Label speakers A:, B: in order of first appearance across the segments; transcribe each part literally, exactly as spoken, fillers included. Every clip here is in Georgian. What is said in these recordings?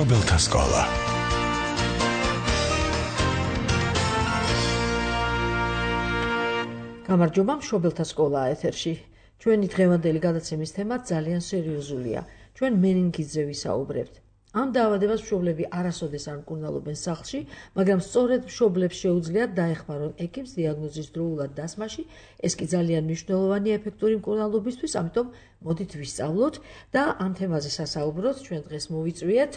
A: მშობელთა სკოლა.
B: გამარჯობა, მშობელთა სკოლა ეთერში. ჩვენი დღევანდელი გადაცემის თემა ძალიან სერიოზულია. ჩვენ მენინგიტზე ვისაუბრებთ. ამ დაავადებას მშობლები არასოდეს არ მკურნალობენ სახლში, მაგრამ სწორედ მშობლებს შეუძლიათ დაეხმარონ ეკიმს დიაგნოზის დროულად დასმაში. ეს კი ძალიან მნიშვნელოვანია ეფექტური მკურნალობისთვის, ამიტომ მოდით ვისწავლოთ და ამ თემაზე სასაუბროთ ჩვენ დღეს მოვიწვიეთ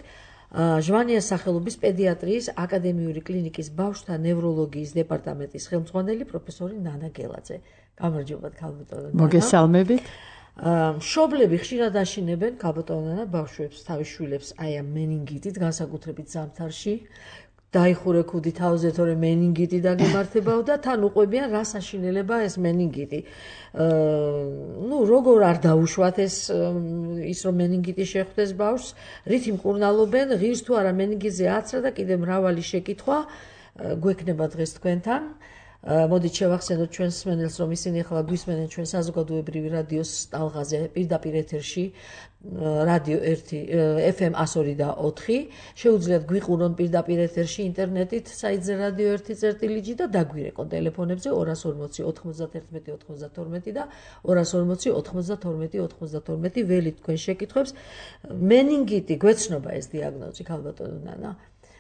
B: ჟვანიას სახელობის პედიატრიის აკადემიური კლინიკის ბავშვთა ნევროლოგიის დეპარტამენტის ხელმძღვანელი პროფესორი ნანა გელაძე. გამარჯობათ, ქალბატონო.
C: მოგესალმებით.
B: მშობლები ხშირად აშინებენ ქალბატონო ბავშვებს, თავის შვილებს აი ამ მენინგიტით, განსაკუთრებით ზამთარში. დაიხურე ქუდი თავზე, თორე მენინგიტი დაგემართებაო და თან უყვებიან რას აშინელება ეს მენინგიტი. ნუ როგორ არ დაუშვათ ეს ის რომ მენინგიტი შეხვდეს ბავშვს, რითი მკურნალობენ, ღირს თუ არა მენინგიტზე აცრა და კიდე მრავალი შეკითხვა გვექნება დღეს თქვენთან. მოდით შევახსენოთ ჩვენს მსმენელს, რომ ისინი ახლა გვისმენენ ჩვენ საზოგადოებრივი რადიოს ტალღაზე პირდაპირ ეთერში რადიო ერთი ეფ ემ εκατო ორი და ოთხი. შეუძლიათ გვიყურონ პირდაპირ ეთერში ინტერნეტით საიტზე რადიო ერთი წერტილი ჯი და დაგვირეკონ ტელეფონებზე ორას ორმოცი ოთხმოცდათერთმეტი ოთხმოცდათორმეტი და ორას ორმოცი ოთხმოცდათორმეტი ოთხმოცდათორმეტი ველით თქვენ შეკითხვებს. მენინგიტი გვეცნობა ეს დიაგნოზი, ქალბატონო ნანა.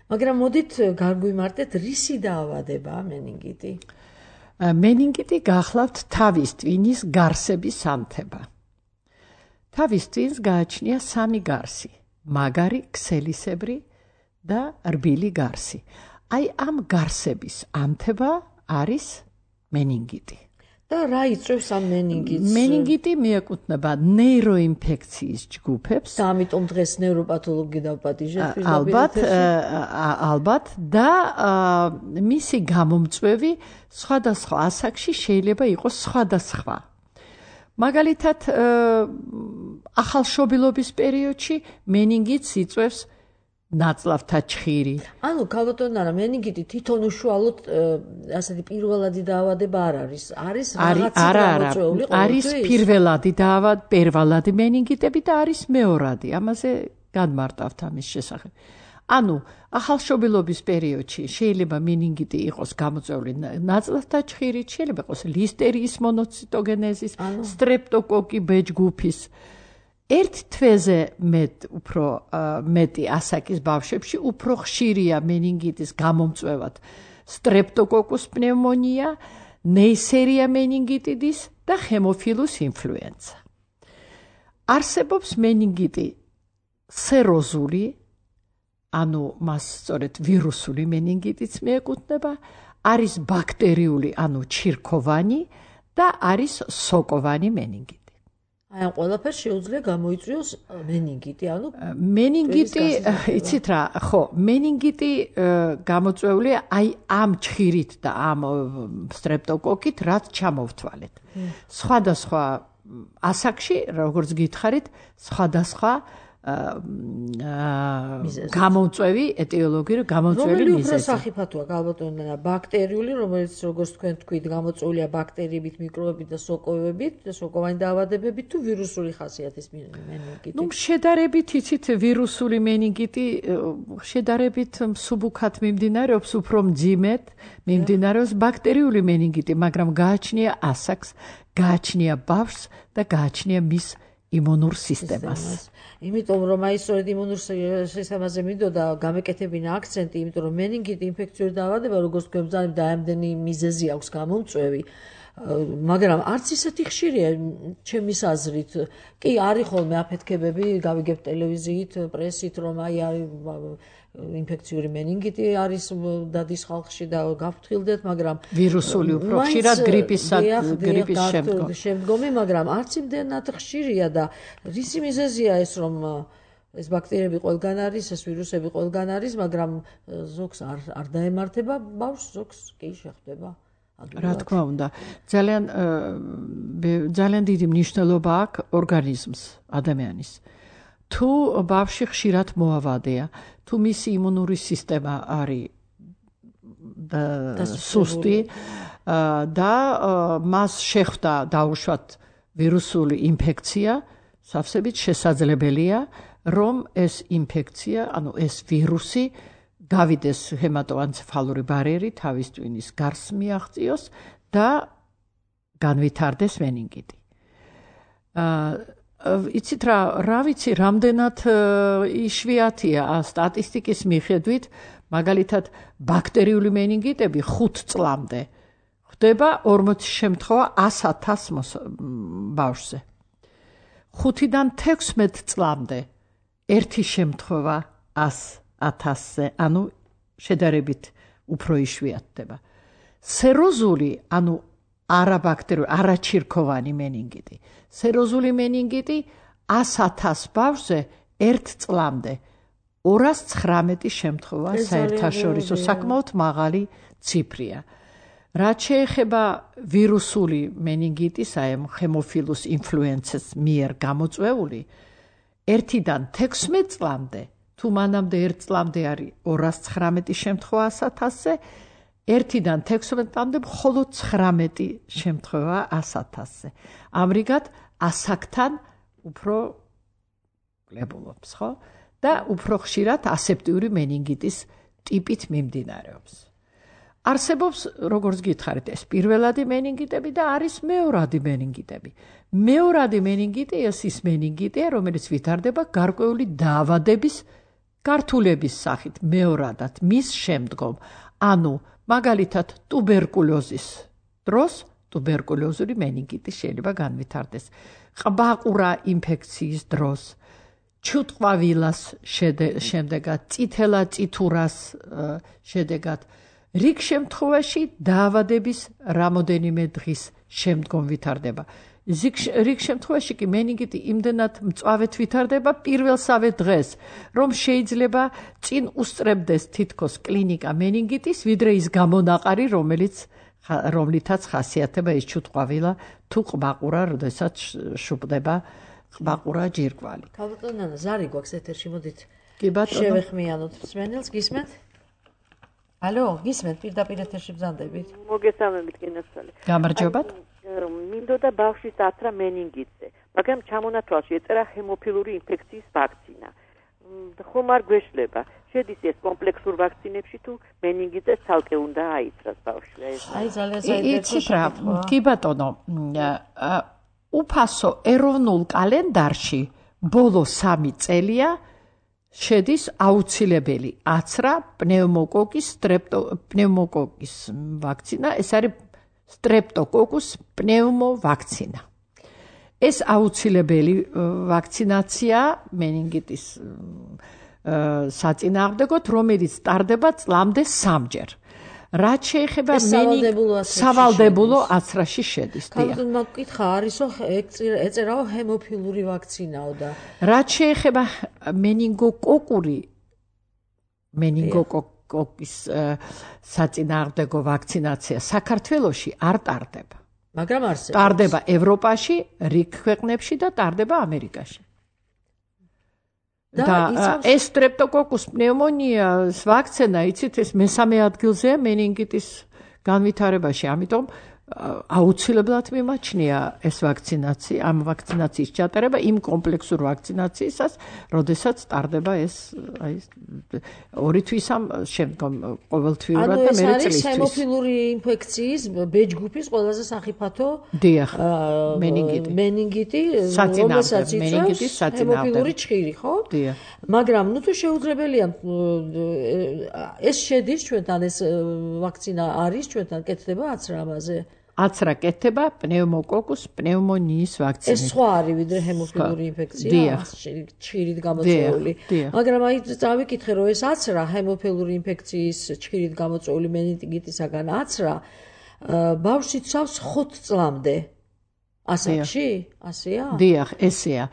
B: მაგრამ მოდით გარგვიმარტეთ, რისი დაავადებაა მენინგიტი?
C: მენინგიტი გახლავთ თავის ტვინის გარსების ანთება. თავის ტვინს გააჩნია სამი გარსი: მაგარი, ქსელისებრი და რბილი გარსი. აი ამ გარსების ანთება არის მენინგიტი.
B: და რა იწვევს ამ მენინგიტს?
C: მენინგიტი მიეკუთვნება ნეიროინფექციის ჯგუფებს.
B: და ამიტომ დღეს ნევროპათოლოგი დავპატიჟეთ
C: ალბათ, ალბათ და მისი გამომწვევი სხვადასხვა ასაკში შეიძლება იყოს სხვადასხვა. მაგალითად, ახალშობილობის პერიოდში მენინგიტს იწვევს ნაწლავთა ჩხირი.
B: ანუ ქალბატონო, მენინგიტი თვითონ უშუალოდ ასეთი პირველადი დაავადება არ არის. არის რაღაცა გამოწვეული ყოველთვის.
C: არის პირველადი დაავადება, პირველადი მენინგიტები და არის მეორადი. ამაზე გადმარტავთ ამის შესახებ. ანუ ახალშობილობის პერიოდში შეიძლება მენინგიტი იყოს გამოწვეული ნაწლავთა ჩხირით, შეიძლება იყოს ლისტერიის მონოციტოგენეზის, სტრეპტოკოკი ბ ჯგუფის. ერთ თვეზე მეტ უფრო მეტი ასაკის ბავშვებში უფრო ხშირია მენინგიტის გამომწვევად სტრეპტოკოკუს პნევმონია, ნეისერია მენინგიტიდის და ჰემოფილუს ინფლუენცა. არსებობს მენინგიტი სეროზული, ანუ მას სწორედ ვირუსული მენინგიტიც მიეკუთვნება, არის ბაქტერიული, ანუ ჩირქოვანი და არის სოკოვანი მენინგიტი.
B: აი ამ ყველაფერს შეუძლია გამოიწვიოს მენინგიტი, ანუ
C: მენინგიტი, იცით რა, ხო, მენინგიტი გამოწვეულია აი ამ ჩხირით და ამ სტრეპტოკოკით, რაც ჩამოვთვალეთ. სხვადასხვა ასაკში, როგორც გითხარით, სხვადასხვა გამომწვევი ეტიოლოგიური გამომწვევი მიზეზი.
B: რომელი უფრო სახიფათოა, ქალბატონო, ბაქტერიული, რომელიც როგორც თქვენ თქვით, გამოწვეულია ბაქტერიებით, მიკრობებით და სოკოვებით, სოკოვანი დაავადებებით თუ ვირუსული ხასიათის მენინგიტი?
C: ნუ შედარებით იცით, ვირუსული მენინგიტი შედარებით მსუბუქად მიმდინარეობს, უფრო მძიმედ მიმდინარეობს ბაქტერიული მენინგიტი, მაგრამ გააჩნია ასაკს, გააჩნია ბავშვს და გააჩნია მის იმუნურ სისტემას.
B: იმიტომ რომ აი სწორედ იმუნურ სისტემაზე მინდოდა გამეკეთებინა აქცენტი, იმიტომ რომ მენინგიტი ინფექციური დაავადება, როგორც თქვენ ბრძანებთ, და ამდენი მიზეზი აქვს გამომწვევი, მაგრამ არც ისეთი ხშირია ჩემის აზრით. კი, არის ხოლმე აფეთქებები, გავიგებთ ტელევიზიით, პრესით, რომ აი არის ინფექციური მენინგიტი არის დადის ხალხში და გავფრთხილდეთ, მაგრამ
C: ვირუსული უფრო ხშირად გრიპის გრიპის შემდგომ.
B: შემდგომი, მაგრამ არც იმდენად ხშირია და რისი მიზეზია ეს, რომ ეს ბაქტერიები ყველგან არის, ეს ვირუსები ყველგან არის, მაგრამ ზოგს არ არ დაემართება ბავშვს, ზოგს კი შეხვდება.
C: რა თქმა უნდა, ძალიან ძალიან დიდი მნიშვნელობა აქვს ორგანიზმს ადამიანის. თუ ბავშვი ხშირად მოავადეა, თუ მისი იმუნური სისტემა არის სუსტი და მას შეხვდა დაუშვათ ვირუსული ინფექცია, სავსებით შესაძლებელია რომ ეს ინფექცია, ანუ ეს ვირუსი გავიდეს ჰემატოენცეფალური ბარიერი, თავის ტვინის გარს მიაღწიოს და განვითარდეს მენინგიტი. იცით რა, რა ვიცი, რამდენად იშვიათია სტატისტიკის მიხედვით, მაგალითად ბაქტერიული მენინგიტები ხუთ წლამდე ხდება ორმოცი შემთხვევა ას ათას ბავშვზე. ხუთიდან თექვსმეტ წლამდე ერთი შემთხვევა ას ათასზე, ანუ შედარებით უფრო იშვიათდება. სეროზული, ანუ არაბაქტერიული, არაჩირქოვანი მენინგიტი. სეროზული მენინგიტი ას ათას ბავშვზე ერთ წლამდე ორას ცხრამეტი შემთხვევა საერთაშორისო საკმაოდ მაღალი ციფრია. რაც შეეხება ვირუსული მენინგიტის, აი ამ ჰემოფილუს ინფლუენცას მიერ გამოწვეული, ერთიდან თექვსმეტ წლამდე, თუ მანამდე ერთ წლამდე არის ორას ცხრამეტი შემთხვევა ას ათასზე, ერთიდან თექვსმეტ წლამდე მხოლოდ ცხრამეტი შემთხვევა ას ათასზე. ამრიგად ასაკთან უფრო კლებულობს, ხო? და უფრო ხშირად ასეპტიური მენინგიტის ტიპით მიმდინარეობს. არსებობს, როგორც გითხარით, ეს პირველადი მენინგიტები და არის მეორადი მენინგიტები. მეორადი მენინგიტი ეს ის მენინგიტია, რომელიც ვითარდება გარკვეული დაავადების გართულების სახით მეორადად მის შემდგომ. ანუ მაგალითად ტუბერკულოზის დროს ტუბერკულოზური მენინგიტი შეიძლება განვითარდეს. ყბაყურა ინფექციის დროს, ჩუტყვავილას შედეგად, წითელა წითურას შედეგად, რიგ შემთხვევაში დაავადების რამოდენიმე დღის შემდგომ ვითარდება. რიგ შემთხვევაში კი მენინგიტი იმდენად მწვავედ ვითარდება პირველსავე დღეს, რომ შეიძლება წინ უსწრებდეს თითქოს კლინიკა მენინგიტის, ვიდრე ის გამონაყარი, რომელიც რომლითაც ხასიათდება ის ჩუტყვავილა თუ ყბაყურა, როდესაც შუბდება ყბაყურა ჯირკვალი.
B: ქალბატონო ნანა, ზარი გვაქვს ეთერში, მოდით
C: კი ბატონო.
B: შევეხმიანოთ მსმენელს, გისმენთ? ალო, გისმენთ, პირდაპირ ეთერში ბრძანდებით.
A: მოგესალმებით, კინოსწავლე.
C: გამარჯობათ.
A: მინდოდა ბავშვის აცრა მენინგიტზე, მაგრამ ჩამონათვალში ეწერა ჰემოფილური ინფექციის ვაქცინა. ხომ არ გვეშლება? შედის ეს კომპლექსურ ვაქცინებში თუ მენინგიტზე ცალკე უნდა აიცრას ბავშვი?
B: აი ძალიან საინტერესო.
C: კი ბატონო, უფასო ეროვნულ კალენდარში ბოლო სამი წელია შედის აუცილებელი აცრა პნევმოკოკის პნევმოკოკის ვაქცინა, ეს არის სტრეპტოკოკუს პნევმოვაქცინა. ეს აუცილებელი ვაქცინაცია მენინგიტის საწინააღმდეგოდ, რომელიც ტარდება წლამდე სამჯერ. რაც შეეხება სავალდებულო აცრაში შედის.
B: ქალბატონო, მაგკითხა არისო, ეწერაო ჰემოფილური ვაქცინაო და
C: რაც შეეხება მენინგოკოკური მენინგოკოკის საწინააღმდეგო ვაქცინაცია საქართველოში არ ტარდება.
B: მაგრამ არსებობს.
C: ტარდება ევროპაში, რიგ ქვეყნებში და ტარდება ამერიკაში. და ეს სტრეპტოკოკუს პნევმონიას ვაქცინა, იცით, ეს მესამე ადგილზეა მენინგიტის განვითარებაში, ამიტომ აუცილებლად მიმაჩნია ეს ვაქცინაცია, ამ ვაქცინაციის ჩატარება იმ კომპლექსურ ვაქცინაციისას, როდესაც ტარდება ეს აი ორი თვის ამ შემდგომ ყოველთვიურად და მერე წლისთვის.
B: ანუ ეს არის ჰემოფილური ინფექციის ბ ჯგუფის ყველაზე სახიფათო
C: დიახ, მენინგიტი.
B: მენინგიტი,
C: რომელსაც იწვევს
B: ჰემოფილური ჭხირი, ხო?
C: დიახ.
B: მაგრამ ნუ თუ შეუძლებელია ეს შედის ჩვენთან, ეს ვაქცინა არის ჩვენთან, კეთდება აცრა ამაზე.
C: აცრა კეთდება პნევმოკოკუს პნევმონიის ვაქცინით.
B: ეს სხვა არის ვიდრე ჰემოფილური ინფექცია, ჭხირით გამოწვეული. მაგრამ აი წავიკითხე, რომ ეს აცრა ჰემოფილური ინფექციის ჭხირით გამოწვეული მენინგიტისაგან აცრა ბავშვს იცავს ხუთ წლამდე. ასაკში? ასეა?
C: დიახ, ესეა.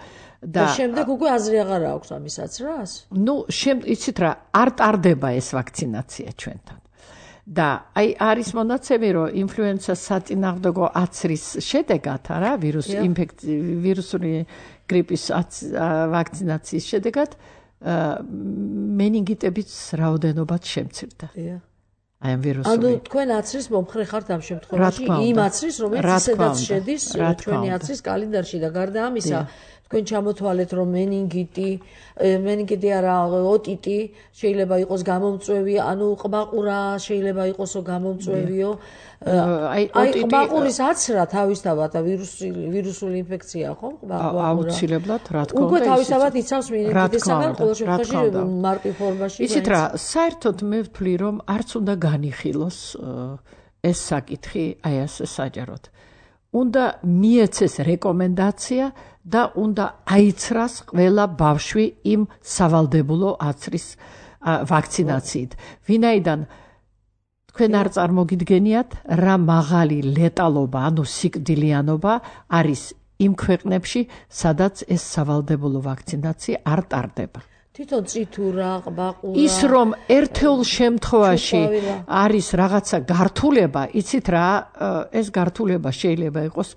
B: და შემდეგ უკვე აზრი აღარ აქვს ამის აცრას?
C: ნუ, იცით რა, არ ტარდება ეს ვაქცინაცია ჩვენთან. და აი არის მონაცემი, რომ ინფლუენცას საწინააღმდეგო აცრის შედეგად, არა, ვირუს ინფექცია, ვირუსული გრიპის ვაქცინაციის შედეგად მენინგიტების რაოდენობაც შემცირდა. აი ამ ვირუსული.
B: ანუ თქვენ აცრის მომხრე ხართ ამ შემთხვევაში, იმ აცრის, რომელიც ისედაც შედის ჩვენი აცრის კალენდარში და გარდა ამისა, თქვენ ჩამოთვალეთ, რომ meningiti, meningiti არა, otiti შეიძლება იყოს გამომწვევი, ანუ ყმაყურა შეიძლება იყოსო გამომწვევიო. აი ყმაყურის აცრა თავისთავად ვირუსული ვირუსული ინფექცია ხო?
C: ყმაყურა. აუცილებლად, რა თქმა უნდა.
B: უკვე თავისთავად იცავს meningitისაგან ყოველ შემთხვევაში მარტივ ფორმაში.
C: იცით რა, საერთოდ მე ვთვლი, რომ არც უნდა განიხილოს ეს საკითხი აი ასე საჯაროდ. უნდა მიეცეს რეკომენდაცია და უნდა აიცრას ყველა ბავშვი იმ სავალდებულო აცრის ვაქცინაციით. ვინაიდან თქვენ არ წარმოგიდგენიათ რა მაღალი ლეტალობა, ანუ სიკვდილიანობა არის იმ ქვეყნებში, სადაც ეს სავალდებულო ვაქცინაცია არ ტარდება.
B: თვითონ წითურა, ყბაყურა.
C: ის რომ ერთეულ შემთხვევაში არის რაღაცა გართულება, იცით რა, ეს გართულება შეიძლება იყოს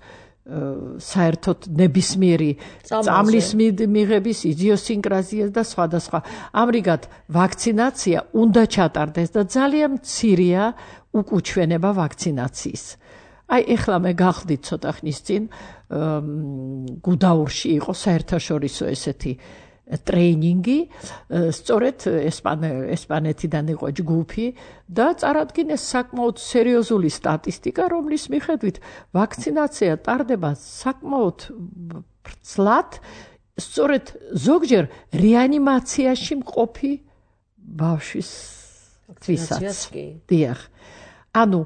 C: საერთოდ ნებისმიერი წამლის მიღების იდიოსინკრაზიას და სხვადასხვა. ამრიგად ვაქცინაცია უნდა ჩატარდეს და ძალიან მცირეა უკუჩვენება ვაქცინაციის. აი ეხლა მე გახდით ცოტა ხნის წინ გუდაურში იყო საერთაშორისო ესეთი ტრეინინგი, სწორედ ესპანეთიდან იყო ჯგუფი და წარადგინეს საკმაოდ სერიოზული სტატისტიკა, რომლის მიხედვით ვაქცინაცია ტარდება საკმაოდ ბრძლად, სწორედ ზოგჯერ რეანიმაციაში მყოფი ბავშვის თვისაც. დიახ. ანუ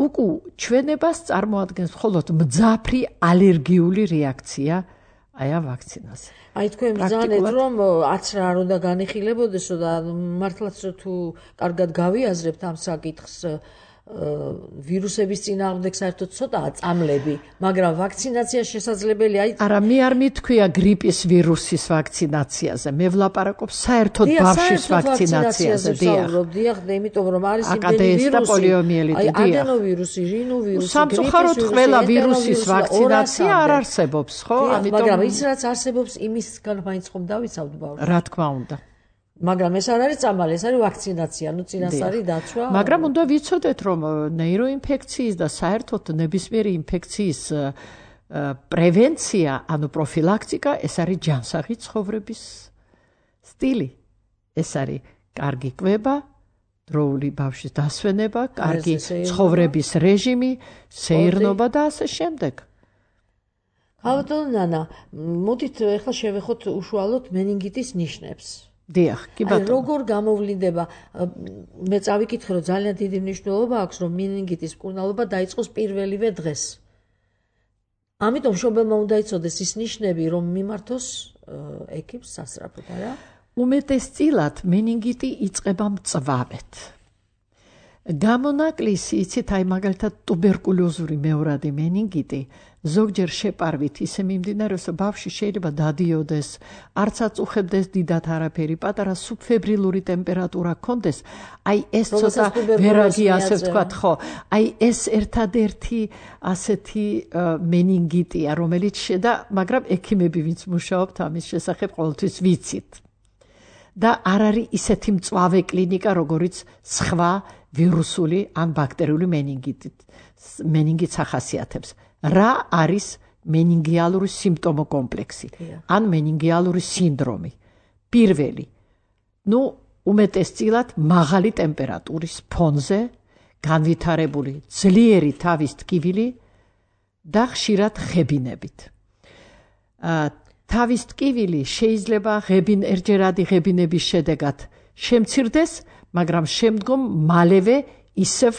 C: უკუ ჩვენებას წარმოადგენს მხოლოდ მძაფრი ალერგიული რეაქცია აი ამ ვაქცინას.
B: აი თქვენ ბრძანეთ რომ აცრა არ უნდა განიხილებოდესო და მართლაც თუ კარგად გავიაზრებთ ამ საკითხს ვირუსების წინააღმდეგ საერთოდ ცოტაა წამლები, მაგრამ ვაქცინაცია შესაძლებელია. აი
C: არა, მე არ მithქვია გრიპის ვირუსის ვაქცინაციაზე, მე ვლაპარაკობ საერთოდ ბავშვის ვაქცინაციაზე.
B: დიახ, დიახ, იმიტომ რომ არის იმდენი ვირუსი, აი ადენოვირუსი, რინოვირუსი,
C: სამწუხაროდ ყველა ვირუსის ვაქცინაცია არ არსებობს, ხო?
B: ამიტომ მაგრამ ის რაც არსებობს, იმისგან მაინც ხომ დავიცავთ ბავშვს.
C: რა თქმა უნდა.
B: მაგრამ ეს არ არის წამალი, ეს არის ვაქცინაცია, ნუ წინასწარი დაცვა.
C: მაგრამ უნდა ვიცოდეთ, რომ ნეიროინფექციის და საერთოდ ნებისმიერი ინფექციის პრევენცია, ანუ პროფილაქტიკა, ეს არის ჯანსაღი ცხოვრების სტილი. ეს არის კარგი კვება, დროული ბავშვის დასვენება, კარგი ცხოვრების რეჟიმი, სეირნობა და ასე შემდეგ.
B: ალბათ ნანა, მოდით ახლა შევეხოთ უშუალოდ meningitის ნიშნებს.
C: დიახ, კი ბატონო.
B: როგორ გამოვლინდება? მე წავიკითხე, რომ ძალიან დიდი მნიშვნელობა აქვს, რომ meningitის მკურნალობა დაიწყოს პირველივე დღეს. ამიტომ მშობელმა უნდა იცოდეს ის ნიშნები, რომ მიმართოს ექიმს სასწრაფოდ, არა?
C: უმეტესწილად meningiti იწყება მწვავედ. გამონაკლისი, იცით, აი მაგალითად ტუბერკულოზური მეორადი meningiti ზოგჯერ შეპარვით ისე მიმდინარეობს, რომ ბავშვი შეიძლება დადიოდეს, არც აწუხებდეს დიდად არაფერი, პატარა სუბფებრილური ტემპერატურა ჰქონდეს, აი ეს ცოტა ვერაგი ასე ვთქვათ, ხო, აი ეს ერთადერთი ასეთი meningitია, რომელიც შედა, მაგრამ ექიმები ვინც მუშაობთ ამის შესახებ ყოველთვის ვიცით. და არ არის ისეთი მწვავე კლინიკა, როგორიც სხვა ვირუსული ან ბაქტერიული meningitით, meningitს ახასიათებს. რა არის meningiალური სიმპტომო კომპლექსი ან meningiალური სინდრომი? პირველი, ნუ უმეტესწილად მაღალი ტემპერატურის ფონზე განვითარებული ძლიერი თავის ტკივილი და ხშირად ღებინებით. თავის ტკივილი შეიძლება ღებინ ერჯერადი ღებინების შედეგად შემცირდეს, მაგრამ შემდგომ მალევე ისევ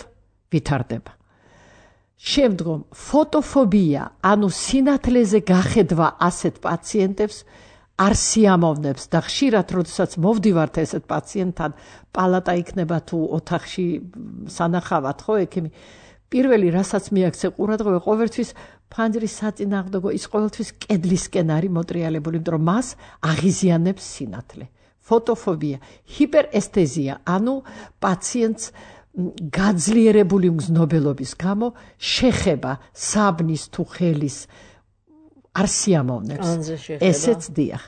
C: ვითარდება. შემდგომ ფოტოფობია, ანუ სინათლეზე გახედვა ასეთ პაციენტებს არ სიამოვნებს და ხშირად, როდესაც მოვდივართ ესეთ პაციენტთან, პალატა იქნება თუ ოთახში სანახავად, ხო, ექიმი, პირველი რასაც მიაქცე ყურადღება, ყოველთვის ფანჯრის საწინააღმდეგო ის ყოველთვის კედლისკენ არის მოტრიალებული, იმიტომ რომ მას აღიზიანებს სინათლე. ფოტოფობია, ჰიპერესთეზია, ანუ პაციენტს გაძლიერებული მგზნობელობის გამო შეხება საბნის თუ ხელის არ სიამოვნებს. ესეც დიახ.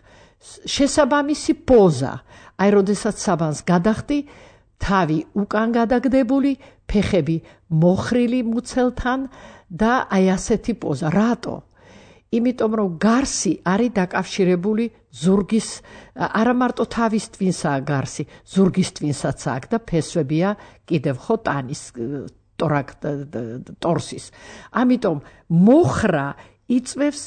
C: შესაბამისი პოზა, აი როდესაც საბანს გადახდი, თავი უკან გადაგდებული, ფეხები მოხრილი მუცელთან და აი ასეთი პოზა. რატო? იმიტომ რომ გარსი არის დაკავშირებული ზურგის, არა მარტო თავის ტვინსაა გარსი, ზურგის ტვინსაც აქვს და ფესვებია კიდევ ხო ტანის ტორსის. ამიტომ მოხრა იწვევს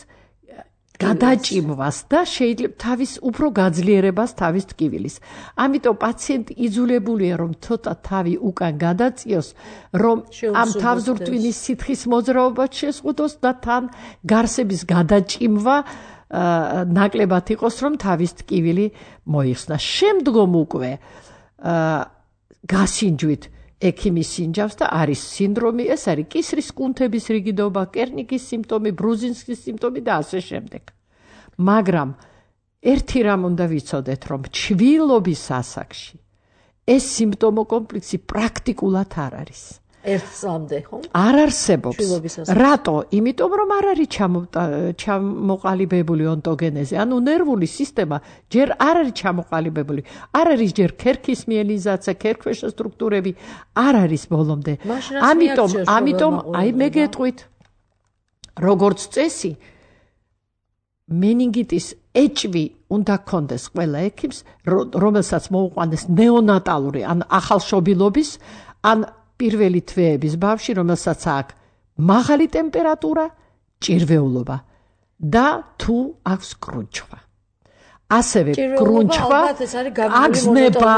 C: გადაჭიმვას და შეიძლება თავის უფრო გაძლიერებას თავის ტკივილის. ამიტომ პაციენტი იძულებულია რომ ცოტა თავი უკან გადაწიოს, რომ ამ თავზურტვინის სითხის მოძრაობა შეზღუდოს და თან გარსების გადაჭიმვა ნაკლებად იყოს, რომ თავის ტკივილი მოიხსნა. შემდგომ უკვე გასინჯვით ექიმი სინჯავს და არის სინდრომი, ეს არის კისრის კუნთების რიგიდობა, კერნიკის სიმპტომი, ბრუზინსკის სიმპტომი და ასე შემდეგ. მაგრამ ერთი რამ უნდა ვიცოდეთ, რომ ჩვილობის ასაკში ეს სიმპტომო კომპლექსი პრაქტიკულად არ არის.
B: ერთ წლამდე, ხო?
C: არ არსებობს. რატო? იმიტომ რომ არ არის ჩამოყალიბებული ონტოგენეზი, ანუ ნერვული სისტემა ჯერ არ არის ჩამოყალიბებული, არ არის ჯერ ქერქის მიელინიზაცია, ქერქქვეშა სტრუქტურები არ არის ბოლომდე. ამიტომ, ამიტომ აი მე გეტყვით, როგორც წესი, meningitის ეჭვი უნდა კონდეს ყველა ექიმს, რომელსაც მოუყვანეს ნეონატალური ან ახალშობილობის ან პირველი თვეების ბავში, რომელსაც აქვს მაღალი ტემპერატურა, ჭირვეულობა და თუ აქვს კრუნჩხვა. ასევე კრუნჩხვა აგზნება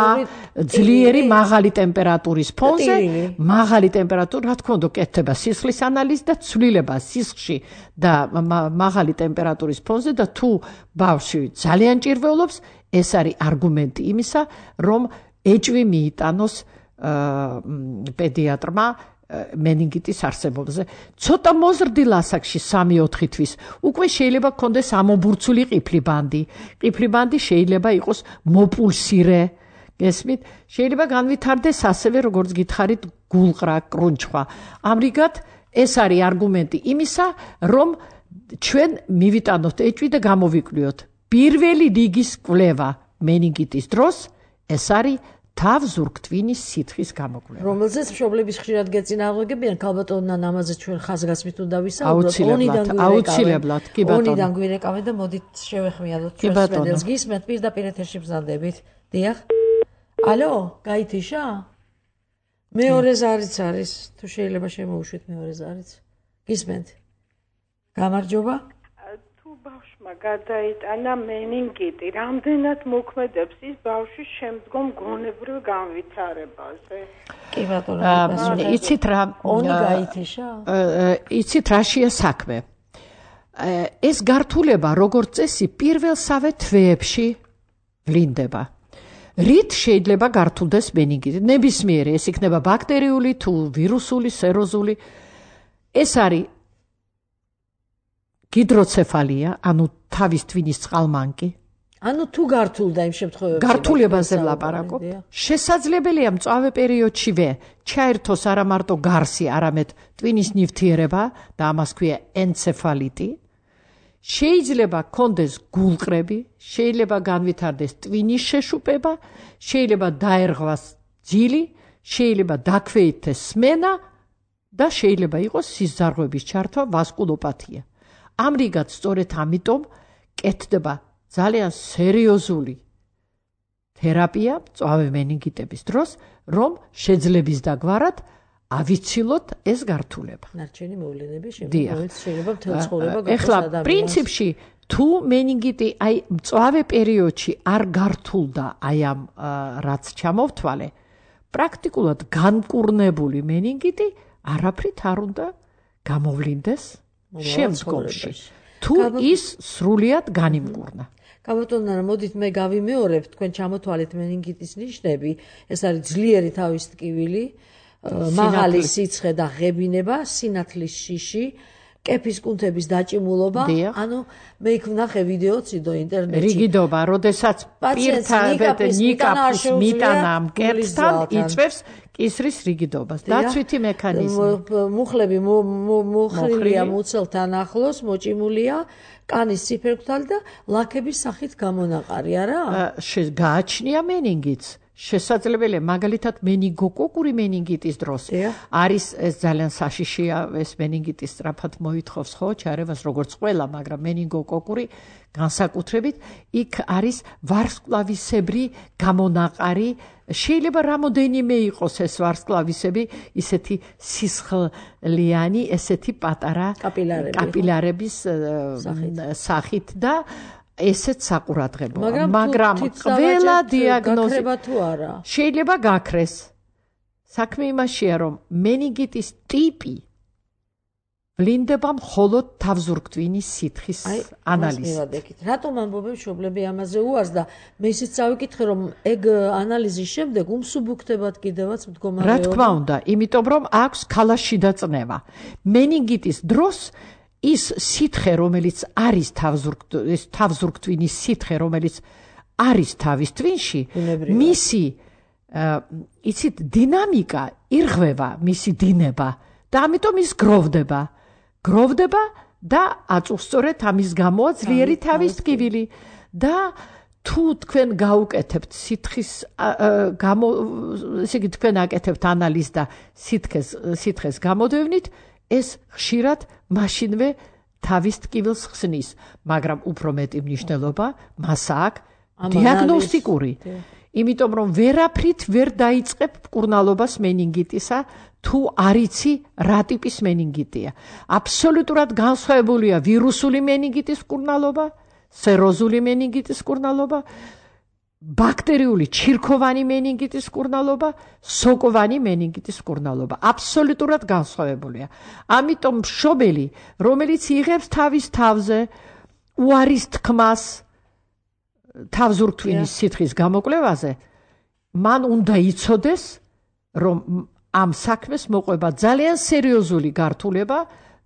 C: ძლიერი მაღალი ტემპერატურის ფონზე, მაღალი ტემპერატურა, რა თქმა უნდა, კეთდება სისხლის ანალიზი და ცვლილება სისხლში და მაღალი ტემპერატურის ფონზე და თუ ბავშვი ძალიან ჭირვეულობს, ეს არის არგუმენტი იმისა, რომ ეჭვი მიიტანოს პედიატრმა meningitის არსებობაზე. ცოტა მოზრდილ ასაკში სამი-ოთხი თვის უკვე შეიძლება გქონდეს ამობურცული ყიფლი ბანდი. ყიფლი ბანდი შეიძლება იყოს მოპულსირე. გესმით? შეიძლება განვითარდეს ასევე, როგორც გითხარით, გულყრა, კრუნჩხვა. ამრიგად, ეს არის არგუმენტი იმისა, რომ ჩვენ მივიტანოთ ეჭვი და გამოვიკვლიოთ. პირველი რიგის კვლევა meningitის დროს ეს არის თავზურგთვინის სითხის გამოკვლევა.
B: რომელზეც მშობლების ხშირად გეწინააღმდეგებიან, ქალბატონთან ამაზე ჩვენ ხაზგასმით უნდა ვისაუბროთ.
C: აუცილებლად, კი ბატონო.
B: ონიდან გვირეკავენ და მოდით შევეხმიადოთ ჩვენს მედელს. გისმენთ პირდაპირ ეთერში ბრძანდებით. დიახ. ალო, გაითიშა? მეორე ზარიც არის, თუ შეიძლება შემოუშვით მეორე ზარიც. გისმენთ. გამარჯობა.
D: ბავშვმა გადაიტანა meningiti, რამდენად მოქმედებს ის ბავშვის შემდგომ გონებრივ განვითარებაზე?
B: კი ბატონო,
C: იცით რა,
B: ონი გაითიშა?
C: იცით რაშია საქმე? ეს გართულება როგორც წესი პირველსავე თვეებში ვლინდება. რით შეიძლება გართულდეს meningiti? ნებისმიერი, ეს იქნება ბაქტერიული თუ ვირუსული, სეროზული. ეს არის ჰიდროცეფალია, ანუ თავის თვინის წყალმანკი.
B: ანუ თუ გართულდა იმ შემთხვევებში.
C: გართულებაზე ვლაპარაკობ. შესაძლებელია მწვავე პერიოდშივე ჩაერთოს არა მარტო გარსი, არამედ ტვინის ნივთიერება და ამას ქვია ენცეფალიტი. შეიძლება გქონდეს გულყრები, შეიძლება განვითარდეს ტვინის შეშუპება, შეიძლება დაერღვას ძილი, შეიძლება დაქვეითდეს სმენა და შეიძლება იყოს სისხლძარღვების ჩართვა, ვასკულოპათია. ამრიგად, სწორედ ამიტომ კეთდება ძალიან სერიოზული თერაპია მწვავე meningitების დროს, რომ შეძლების დაგვარად ავიცილოთ ეს გართულება.
B: ნარჩენი მოვლენები შეიძლება მთელ ცხოვრება გახდეს
C: ეხლა პრინციპში თუ meningiti აი მწვავე პერიოდში არ გართულდა აი ამ რაც ჩამოვთვალე, პრაქტიკულად განკურნებული meningiti არაფრით არ უნდა გამოვლინდეს შემდგომში. თუ ის სრულიად განიმკურნა.
B: კაბატონო, მოდით მე გავიმეორებ, თქვენ ჩამოთვალეთ meningitის ნიშნები, ეს არის ძლიერი თავის ტკივილი, მაღალი სიცხე და ღებინება, სინათლის შიში, კეფის კუნთების დაჭიმულობა, ანუ მე იქ ვნახე ვიდეოციდო ინტერნეტში.
C: რიგიდობა, როდესაც პირთა ნიკაპის მიტანა მკერდთან იწვევს კისრის რიგიდობას. დაცვითი მექანიზმი.
B: მუხლები მოხრილია მუცელთან ახლოს, მოჭიმულია, კანის ციფერქვთალი და ლაქების სახით გამონაყარი, არა?
C: გააჩნია meningitს. შესაძლებელია მაგალითად მენინგოკოკური მენინგიტის დროს არის ეს ძალიან საშიშია ეს მენინგიტის სწრაფად მოითხოვს ხო ჩარევას როგორც ყველა მაგრამ მენინგოკოკური განსაკუთრებით იქ არის ვარსკვლავისებრი გამონაყარი შეიძლება რამოდენიმე იყოს ეს ვარსკვლავისები ისეთი სისხლიანი ესეთი პატარა კაპილარების სახით და ესეც საყურადღებოა მაგრამ ყველა დიაგნოზი შეიძლება გაქრეს საქმე იმაშია რომ მენინგიტის ტიპი ვლინდება მხოლოდ თავზურგთვინის სითხის ანალიზით.
B: რატომ ამბობენ მშობლები ამაზე უარს და მე ისიც წავიკითხე რომ ეგ ანალიზის შემდეგ უმსუბუქდებათ კიდევაც მდგომარეობა.
C: რა თქმა უნდა, იმიტომ რომ აქვს ქალაში დაწნევა. მენინგიტის დროს ის სითხე რომელიც არის თავზურგთვის თავზურგთვინის სითხე რომელიც არის თავის თვინში მისი იცით დინამიკა ირღვევა მისი დინება და ამიტომ ის გროვდება გროვდება და აწუხსწორეთ ამის გამოა ძლიერი თავის ტკივილი და თუ თქვენ გაუკეთებთ სითხის გამო ესე იგი თქვენ აკეთებთ ანალიზს და სითხეს სითხეს გამოდევნით ეს ხშირად მაშინვე თავის ტკივილს ხსნის, მაგრამ უფრო მეტი მნიშვნელობა მას აქვს დიაგნოსტიკური. იმიტომ რომ ვერაფრით ვერ დაიწყებ მკურნალობას მენინგიტისა, თუ არ იცი რა ტიპის მენინგიტია. აბსოლუტურად განსხვავებულია ვირუსული მენინგიტის მკურნალობა, სეროზული მენინგიტის მკურნალობა, ბაქტერიული ჩირქოვანი მენინგიტის მკურნალობა, სოკოვანი მენინგიტის მკურნალობა. აბსოლუტურად განსხვავებულია. ამიტომ მშობელი, რომელიც იღებს თავის თავზე უარის თქმას თავზურგთვინის სითხის გამოკვლევაზე, მან უნდა იცოდეს, რომ ამ საქმეს მოყვება ძალიან სერიოზული გართულება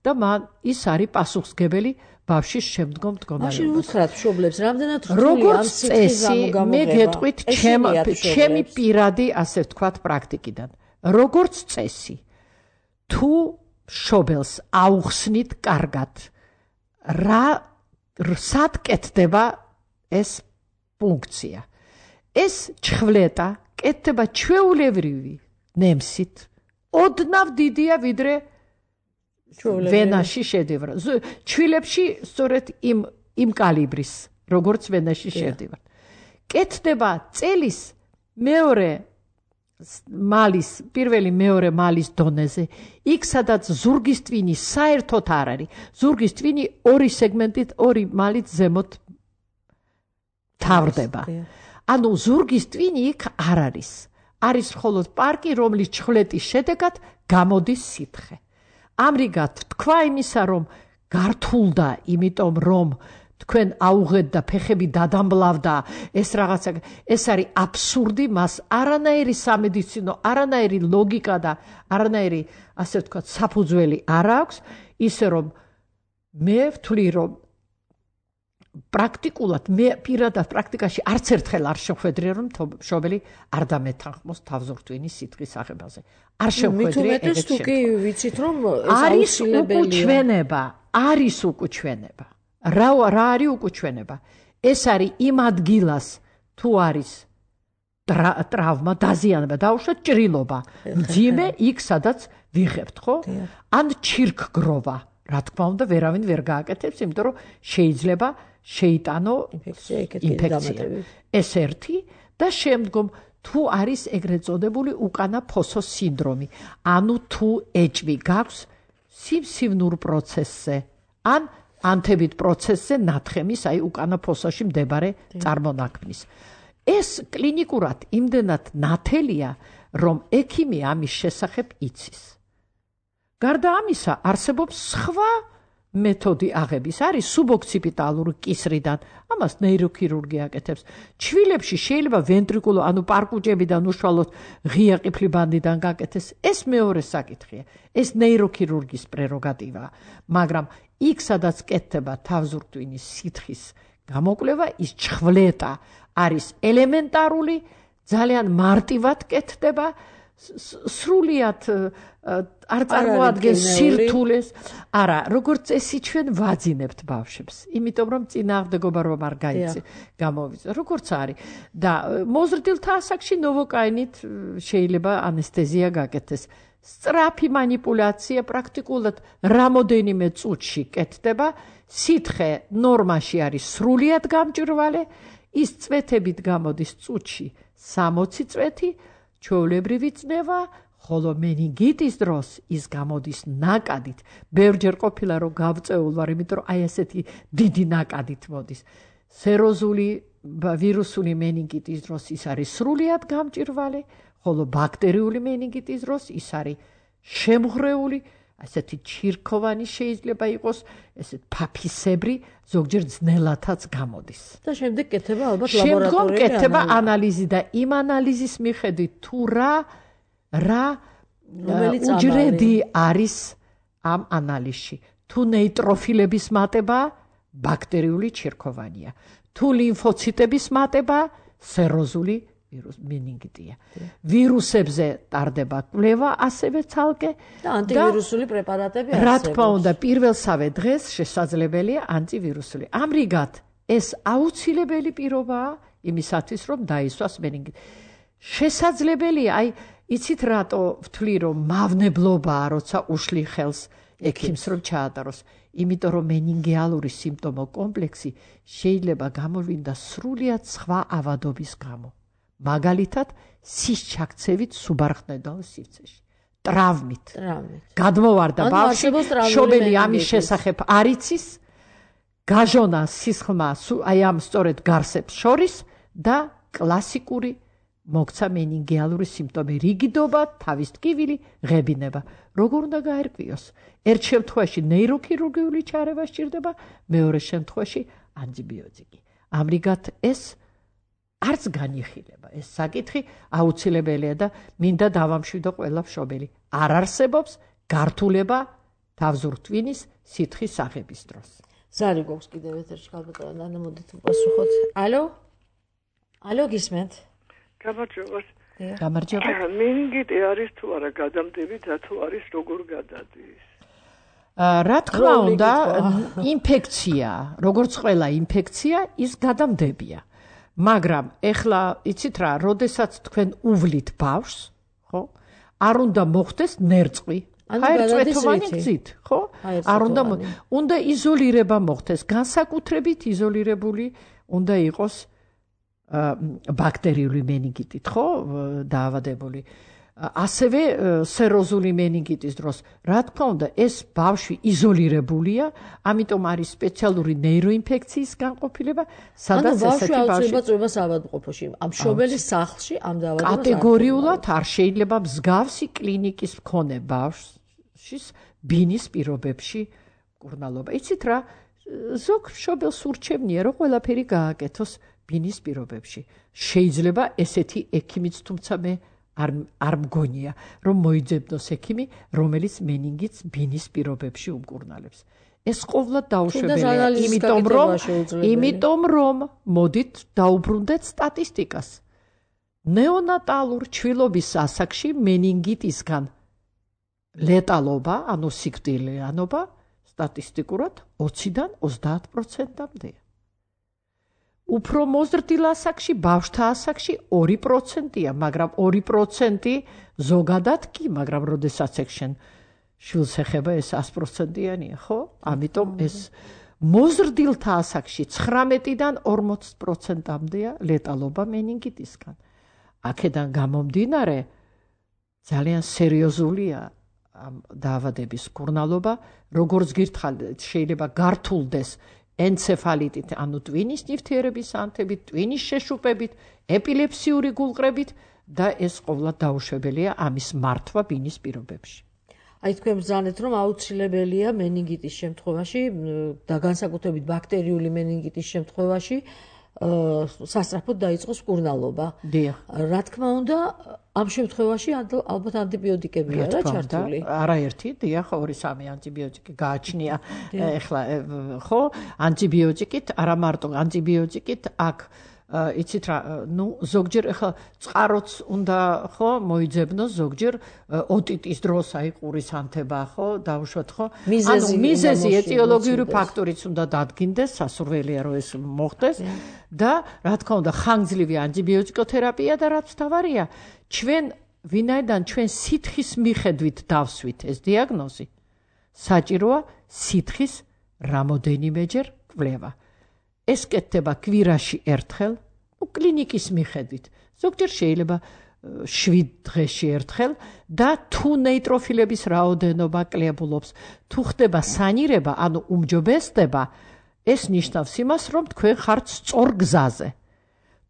C: და მან ის არის პასუხისმგებელი ბავშვის შემდგომ მდგომარეობას.
B: მაშინ უთხრათ მშობლებს, რამდენად
C: რთული ამ სითხის გამოგება. მე გეტყვით ჩემი პირადი, ასე ვთქვათ, პრაქტიკიდან. როგორც წესი, თუ მშობელს აუხსნით კარგად, რა სად კეთდება ეს ფუნქცია. ეს ჩხვლეტა კეთდება ჩვეულებრივი ნემსით. ოდნავ დიდია ვიდრე ვენაში შედევრი. ჩვილებში სწორედ იმ იმ კალიბრის, როგორც ვენაში შედევრი. კეთდება წელის მეორე მალის, პირველი მეორე მალის დონეზე, იქ სადაც ზურგის ტვინი საერთოდ არ არის. ზურგის ტვინი ორი სეგმენტით, ორი მალით ზემოთ თავდება. ანუ ზურგის ტვინი იქ არ არის. არის მხოლოდ პარკი, რომლის ჩხვლეტის შედეგად გამოდის სითხე. ამრიგად თქვა იმისა, რომ გართულდა, იმიტომ რომ თქვენ აუღეთ და ფეხები დადამბლავდა, ეს რაღაცა, ეს არის აბსურდი, მას არანაირი სამედიცინო, არანაირი ლოგიკა და არანაირი, ასე ვთქვათ, საფუძველი არ აქვს, ისე რომ მე ვთვლი, რომ პრაქტიკულად მე პირადად პრაქტიკაში არც ერთხელ არ შეხვედრია რომ მშობელი არ დამეთანხმოს თავზურგთვინის სითხის აღებაზე. არ შეხვედრია ეგეთ
B: შემთხვევაში. თუ კი ვიცით რომ
C: არის უკუჩვენება, არის უკუჩვენება. რა რა არის უკუჩვენება? ეს არის იმ ადგილას თუ არის ტრავმა, დაზიანება, დაუშვათ ჭრილობა, მძიმე იქ სადაც ვიღებთ, ხო? ან ჩირქგროვა. რა თქმა უნდა, ვერავინ ვერ გააკეთებს, იმიტომ რომ შეიძლება შეიტანო ინფექცია. ეს ერთი და შემდგომ თუ არის ეგრეთ წოდებული უკანა ფოსოს სინდრომი, ანუ თუ ეჭვი გაქვს სიმსივნურ პროცესზე, ან ანთებით პროცესზე ნათხემის, აი უკანა ფოსოში მდებარე წარმონაქმნის. ეს კლინიკურად იმდენად ნათელია, რომ ექიმი ამის შესახებ იცის. გარდა ამისა, არსებობს სხვა მეთოდი აღების, არის სუბოქციპიტალური კისრიდან, ამას ნეიროქირურგი აკეთებს. ჩვილებში შეიძლება ვენტრიკულო, ანუ პარკუჭებიდან უშუალოდ ღია ყიფლიბანდიდან გაკეთეს, ეს მეორე საკითხია. ეს ნეიროქირურგის პრეროგატივაა, მაგრამ იქ სადაც კეთდება თავზურგთვინის სითხის გამოკვლევა, ის ჩხვლეტა არის ელემენტარული, ძალიან მარტივად კეთდება, სრულიად არ წარმოადგენს სირთულეს. არა, როგორც წესი ჩვენ ვაძინებთ ბავშვებს, იმიტომ რომ წინააღმდეგობა რომ არ გაიწი გამოვიწევ, როგორც არის. და მოზრდილთა ასაკში ნოვოკაინით შეიძლება ანესთეზია გაკეთდეს. სწრაფი манипуляცია პრაქტიკულად რამოდენიმე წუთში კეთდება, სითხე ნორმაში არის სრულიად გამჭვირვალე, ის წვეთებით გამოდის წუთში სამოცი წვეთი, ჩვეულებრივი წნევა, ხოლო მენინგიტის დროს ის გამოდის ნაკადით. ბევრჯერ ყოფილა რომ გავწეულ ვარ, იმიტომ რომ აი ესეთი დიდი ნაკადით მოდის. სეროზული ვირუსული მენინგიტის დროს ის არის სრულიად გამჭვირვალე, ხოლო ბაქტერიული მენინგიტის დროს ის არის შემღრეული, ასეთი ჩირქოვანი შეიძლება იყოს, ესეთ ფაფისებრი, ზოგჯერ ძნელათაც გამოდის.
B: და შემდეგ კეთება ალბათ
C: შემდგომ
B: ლაბორატორიული
C: კეთება ანალიზი და იმ ანალიზის მიხედვით თუ რა რა უჯრედი არის ამ ანალიზში. თუ ნეიტროფილების მატება ბაქტერიული ჩირქოვანია, თუ ლიმფოციტების მატება სეროზული ვირუს მენინგიტია. ვირუსებზე ტარდება კვლევა ასევე ცალკე
B: და ანტივირუსული პრეპარატები
C: რა თქმა უნდა პირველსავე დღეს შესაძლებელია ანტივირუსული. ამრიგად ეს აუცილებელი პირობაა იმისათვის რომ დაისვას მენინგიტი. შესაძლებელია, აი იცით რატო ვთვლი რომ მავნებლობაა როცა უშლი ხელს ექიმს რომ ჩაატაროს, იმიტომ რომ მენინგიალური სიმპტომო კომპლექსი შეიძლება გამოვლინდა სრულიად სხვა ავადობის გამო. მაგალითად სის ჩაქცევით სუბარხნედაო სივრცეში, ტრავმით. გადმოვარდა ბავშვი, შობელი ამის შესახებ არ იცის, გაჟონა სისხლმა აი ამ სწორედ გარსებს შორის და კლასიკური მოგცა მენინგიალური სიმპტომი, რიგიდობა, თავის ტკივილი, ღებინება. როგორ უნდა გაერკვიოს? ერთ შემთხვევაში ნეიროქირურგიული ჩარევა სჭირდება, მეორე შემთხვევაში ანტიბიოტიკი. ამრიგად ეს არც განიხილება, ეს საკითხი აუცილებელია და მინდა დავამშვიდო ყველა მშობელი. არ არსებობს გართულება თავზურტვინის სითხის აღების დროს.
B: ზარი გვაქვს კიდევ ეთერში ქალბატონო ნანა, მოდით უპასუხოთ. ალო? ალო, გისმენთ?
E: გამარჯობა.
C: გამარჯობა.
E: მენინგიტი არის თუ არა გადამდები და თუ არის როგორ გადადის?
C: რა თქმა უნდა, ინფექცია, როგორც ყველა ინფექცია, ის გადამდებია. მაგრამ ეხლა იცით რა, როდესაც თქვენ უვლით ბავშვს, ხო? არ უნდა მოხდეს ნერწყვი. ჰაერწვეთოვანი გზით, ხო? არ უნდა უნდა იზოლირება მოხდეს, განსაკუთრებით იზოლირებული უნდა იყოს ბაქტერიული მენინგიტით, ხო? დაავადებული. ასევე სეროზული მენინგიტის დროს, რა თქმა უნდა, ეს ბავშვი იზოლირებულია, ამიტომ არის სპეციალური ნეიროინფექციის განყოფილება, სადაც ესეთი ბავშვი
B: წვებას ავადმყოფოში, ამ მშობელის სახლში ამ დაავადებას
C: კატეგორიულად არ შეიძლება მსგავსი კლინიკის მქონე ბავშვის ბინის პირობებში მკურნალობა. იცით რა, ზოგ მშობელს ურჩევნია, რომ ყველაფერი გააკეთოს ბინის პირობებში. შეიძლება ესეთი ექიმიც, თუმცა მე არ არ მგონია რომ მოიძებნოს ექიმი, რომელიც მენინგიტს ბინის პირობებში უმკურნალებს. ეს ყოვლად დაუშვებელია, იმიტომ რომ იმიტომ რომ მოდით დაუბრუნდეთ სტატისტიკას. ნეონატალურ ჩვილობის ასაკში მენინგიტისგან ლეტალობა, ანუ სიკვდილიანობა სტატისტიკურად ოციდან ოცდაათ პროცენტამდეა. უფრო მოზრდილ ასაკში, ბავშვთა ასაკში ორი პროცენტია, მაგრამ ორი პროცენტი ზოგადად კი, მაგრამ როდესაც ექშენ შვილს ეხება ეს ას პროცენტიანია, ხო? ამიტომ ეს მოზრდილთა ასაკში ცხრამეტიდან ორმოც პროცენტამდეა ლეტალობა მენინგიტისგან. აქედან გამომდინარე ძალიან სერიოზულია ამ დაავადების მკურნალობა, როგორც გირთხარით, შეიძლება გართულდეს ენცეფალიტით, ანუ ტვინის ნივთიერების ანთებით, ტვინის შეშუპებით, ეპილეფსიური გულყრებით და ეს ყოვლად დაუშვებელია ამის მართვა ბინის პირობებში.
B: აი თქვენ ბრძანეთ, რომ აუცილებელია მენინგიტის შემთხვევაში და განსაკუთრებით ბაქტერიული მენინგიტის შემთხვევაში სასწრაფოდ დაიწყოს მკურნალობა. რა თქმა უნდა, ამ შემთხვევაში ალბათ ანტიბიოტიკებია რა ჩართული.
C: არაერთი, დიახ, ორი სამი ანტიბიოტიკი გააჩნია. ეხლა ხო, ანტიბიოტიკით, არა მარტო ანტიბიოტიკით, აქ იცით რა, ნუ ზოგჯერ ახლა წყაროც უნდა ხო მოიძებნოს, ზოგჯერ ოტიტის დროს აი ყურის ანთება ხო, დავუშვათ ხო? ანუ მიზეზი ეტიოლოგიური ფაქტორიც უნდა დადგინდეს, სასურველია რომ ეს მოხდეს და რა თქმა უნდა ხანგრძლივი ანტიბიოტიკოთერაპია და რაც თავარია, ჩვენ ვინაიდან ჩვენ სითხის მიხედვით დავსვით ეს დიაგნოზი, საჭიროა სითხის რამოდენიმეჯერ კვლევა. ეს კეთდება კვირაში ერთხელ, ну კლინიკის მიხედვით. ზოგჯერ შეიძლება შვიდ დღეში ერთხელ და თუ ნეიტროფილების რაოდენობა კლებულობს, თუ ხდება სანირება, ანუ უმჯობესდება, ეს ნიშნავს იმას, რომ თქვენ ხართ სწორ გზაზე.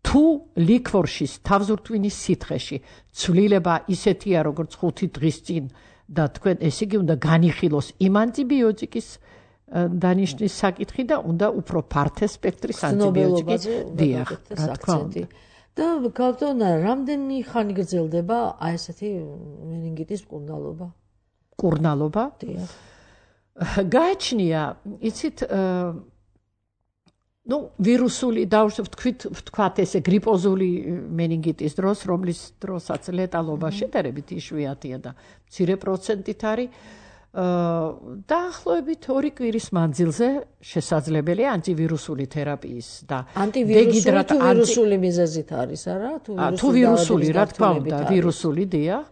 C: თუ ლიკვორშის თავზურტვინის სითხეში ცვლილება ისეთია, როგორც ხუთი დღის წინ და თქვენ ესე იგი უნდა განიხილოს იმ ანტიბიოტიკის დანიშნის საკითხი და უნდა უფრო ფართე სპექტრის ანტიბიოტიკი დიახ, რა თქმა უნდა.
B: და გავტონა, რამდენი ხანი გრძელდება აი ესეთი მენინგიტის მკურნალობა?
C: მკურნალობა?
B: დიახ.
C: გააჩნია, იცით, ну, ვირუსული დავშვით, ვთქვათ ესე გრიპოზული მენინგიტის დროს, რომლის დროსაც ლეტალობა შედარებით იშვიათია და მცირე პროცენტით არის. დაახლოებით ორი კვირის მანძილზე შესაძლებელია ანტივირუსული თერაპიის და
B: ანტივირუსული თუ ვირუსული მიზეზით არის, არა?
C: თუ ვირუსული, რა თქმა უნდა, ვირუსული დიახ.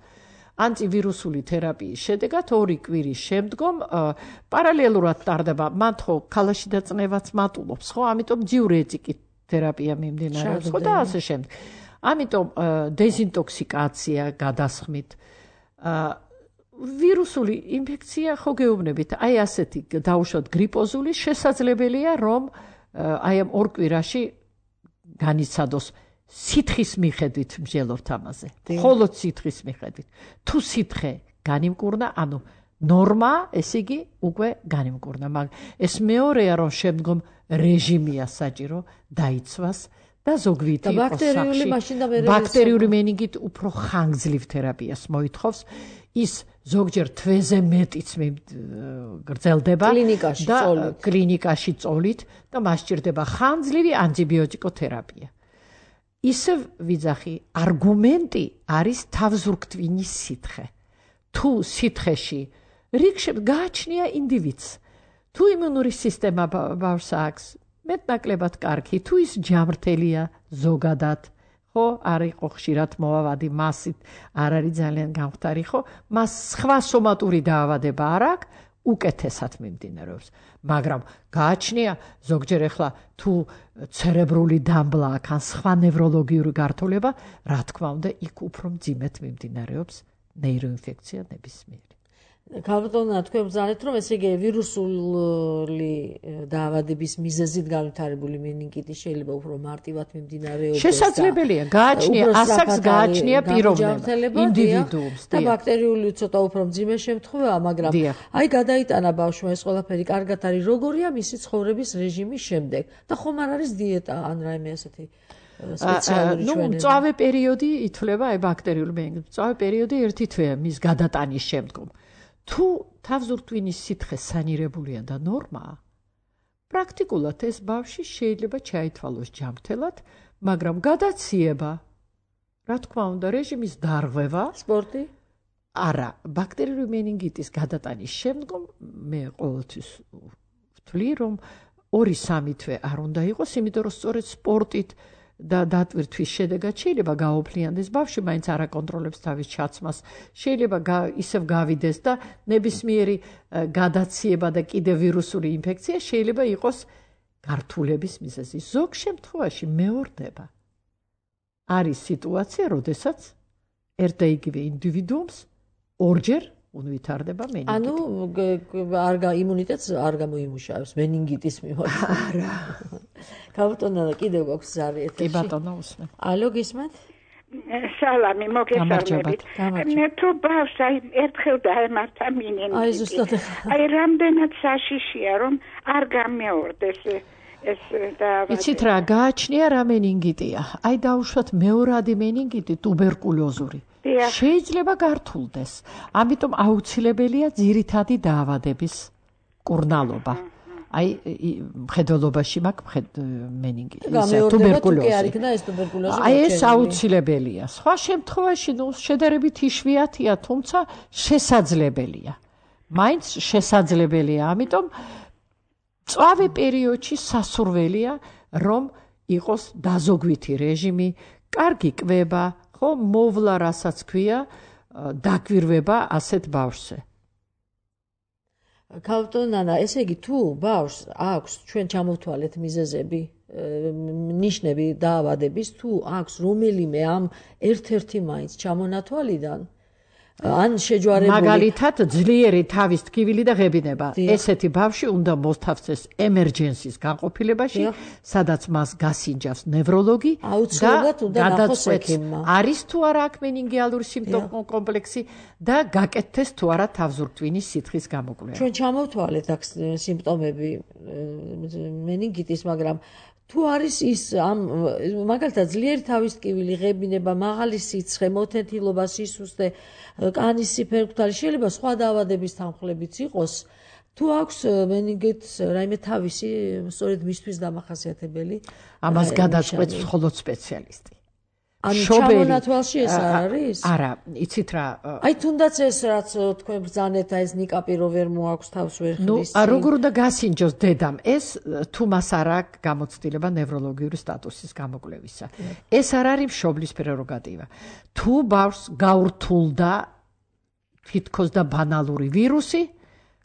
C: ანტივირუსული თერაპიის შედეგად ორი კვირის შემდგომ პარალელურად ტარდება, მათ ხო ქალაში დაწნევაც მატულობს, ხო? ამიტომ დიურეტიკით თერაპია მიმდინარეობს, ხო და ასე შემდეგ. ამიტომ დეზინტოქსიკაცია გადასხმით ვირუსული ინფექცია ხო გეუბნებით, აი ასეთი დაუშვათ გრიპოზული შესაძლებელია, რომ აი ამ ორ კვირაში განიცადოს სითხის მიხედვით მსჯელობთ ამაზე. მხოლოდ სითხის მიხედვით. თუ სითხე განიმკურნა, ანუ ნორმა, ესე იგი უკვე განიმკურნა, მაგრამ ეს მეორეა, რომ შემდგომ რეჟიმია საჭირო დაიცვას და ზოგვითი
B: ბაქტერიული მაშინ და მე
C: ბაქტერიული მენინგიტ უფრო ხანგრძლივ თერაპიას მოითხოვს. ის ზოგჯერ თვეზე მეტიც გრძელდება
B: კლინიკაში
C: და
B: წოლით.
C: კლინიკაში წოლით და მას სჭირდება ხანგრძლივი ანტიბიოტიკოთერაპია. ისევ ვიძახი, არგუმენტი არის თავზურგტვინის სითხე. თუ სითხეში რიგში გააჩნია ინდივიდს, თუ იმუნური სისტემა ბავშვს აქვს მეტნაკლებად კარგი, თუ ის ჯამრთელია ზოგადად, ხო, არ იყო ხშირად მოავადი მასით, არ არის ძალიან გამხდარი, ხო, მას სხვა სომატური დაავადება არ აქვს, უკეთესად მიმდინარეობს. მაგრამ გააჩნია ზოგჯერ ახლა თუ ცერებრული დამბლა აქვს ან სხვა ნევროლოგიური გართულება, რა თქმა უნდა, იქ უფრო მძიმედ მიმდინარეობს ნეიროინფექცია ნებისმიერი.
B: გავტონა, თქვენ ბრძანეთ, რომ ესე იგი ვირუსული დაავადების მიზეზით განვითარებული მენინგიტი შეიძლება უფრო მარტივად მიმდინარეობდეს.
C: შესაძლებელია, გააჩნია, ასაკს გააჩნია პიროვნება, ინდივიდუუმს
B: და ბაქტერიული ცოტა უფრო მძიმე შემთხვევაა, მაგრამ აი გადაიტანა ბავშვმა ეს ყველაფერი კარგად არის, როგორია მისი ცხოვრების რეჟიმის შემდეგ და ხომ არ არის დიეტა ან რაიმე ასეთი სპეციალური ჩვენები?
C: ნუ მწვავე პერიოდი ითვლება აი ბაქტერიული მენინგიტი. მწვავე პერიოდი ერთი თვეა მის გადატანის შემდგომ. თუ თავზურტვინის სითხე სანირებულია და ნორმაა, პრაქტიკულად ეს ბავშვი შეიძლება ჩაითვალოს ჯამრთელად, მაგრამ გადაციება, რა თქმა უნდა, რეჟიმის დარღვევა,
B: სპორტი?
C: არა, ბაქტერიული მენინგიტის გადატანის შემდგომ მე ყოველთვის ვთვლი, რომ ორი სამი თვე არ უნდა იყოს, იმიტომ რომ სწორედ სპორტით და დატვირთვის შედეგად შეიძლება გაოფლიანდეს ბავშვი, მაინც არ აკონტროლებს თავის ჩაცმას, შეიძლება ისევ გავიდეს და ნებისმიერი გადაციება და კიდევ ვირუსული ინფექცია შეიძლება იყოს გართულების მიზეზი. ზოგ შემთხვევაში მეორდება. არის სიტუაცია, როდესაც ერთ და იგივე ინდივიდუუმს ორჯერ ვითარდება მენინგიტი.
B: ანუ არ იმუნიტეტს არ გამოიმუშავებს მენინგიტის მიმართ.
C: არა.
B: გავტონა და კიდევ გვაქვს ზარი ეთერში.
C: კი ბატონო, უსმენ.
B: ალო, გისმენთ?
D: სალამი, მოგესალმებით. მე თუ ბავშვს აი ერთხელ დაემართა მენინგიტი.
B: აი ზუსტად.
D: აი რამდენად საშიშია, რომ არ გამეორდეს ეს დაავადება.
C: იცით რა, გააჩნია რა მენინგიტია. აი დაუშვათ მეორადი მენინგიტი ტუბერკულოზური. შეიძლება გართულდეს. ამიტომ აუცილებელია ძირითადი დაავადების მკურნალობა. აი მხედველობაში მაქვს მენინგიტი, ისე ტუბერკულოზი.
B: არ იქნა ეს ტუბერკულოზი.
C: აი ეს აუცილებელია. სხვა შემთხვევაში ნუ შედარებით იშვიათია, თუმცა შესაძლებელია. მაინც შესაძლებელია, ამიტომ წვავე პერიოდში სასურველია, რომ იყოს დაზოგვითი რეჟიმი, კარგი კვება, ხო, მოვლა, რასაც ქვია, დაკვირვება ასეთ ბავშვზე.
B: ქალბატონანა, ესე იგი თუ ბავშვს აქვს ჩვენ ჩამოვთვალეთ მიზეზები, ნიშნები დაავადების, თუ აქვს რომელიმე ამ ერთ-ერთი მაინც ჩამონათვალიდან ან შეჯვარებული
C: მაგალითად ძლიერი თავის ტკივილი და ღებინება. ესეთი ბავშვი უნდა მოსთავსდეს ემერჯენსის განყოფილებაში, სადაც მას გასინჯავს ნევროლოგი და გადაწყვეტს არის თუ არა აქ მენინგიალური სიმპტომო კომპლექსი და გაკეთდეს თუ არა თავზურგტვინის სითხის გამოკვლევა.
B: ჩვენ ჩამოვთვალეთ აქ სიმპტომები მენინგიტის, მაგრამ თუ არის ის ამ მაგალითად ძლიერი თავის ტკივილი, ღებინება, მაღალი სიცხე, მოთეთილობა, სისუსტე, კანის სიფერქთალი, შეიძლება სხვა დაავადების თანხლებიც იყოს. თუ აქვს მენინგიტს რაიმე თავისი სწორედ მისთვის დამახასიათებელი,
C: ამას გადაწყვეტს მხოლოდ სპეციალისტი.
B: ანუ ჩამონათვალში ეს არ არის?
C: არა, იცით რა.
B: აი თუნდაც ეს რაც თქვენ ბრძანეთ, ეს ნიკაპირო ვერ მოაქვს თავს ვერ ხდის.
C: ნუ როგორ უნდა გასინჯოს დედამ, ეს თუ მას არ აქვს გამოცდილება ნევროლოგიური სტატუსის გამოკვლევისა. ეს არ არის მშობლის პრეროგატივა. თუ ბავშვს გაურთულდა თითქოს და ბანალური ვირუსი,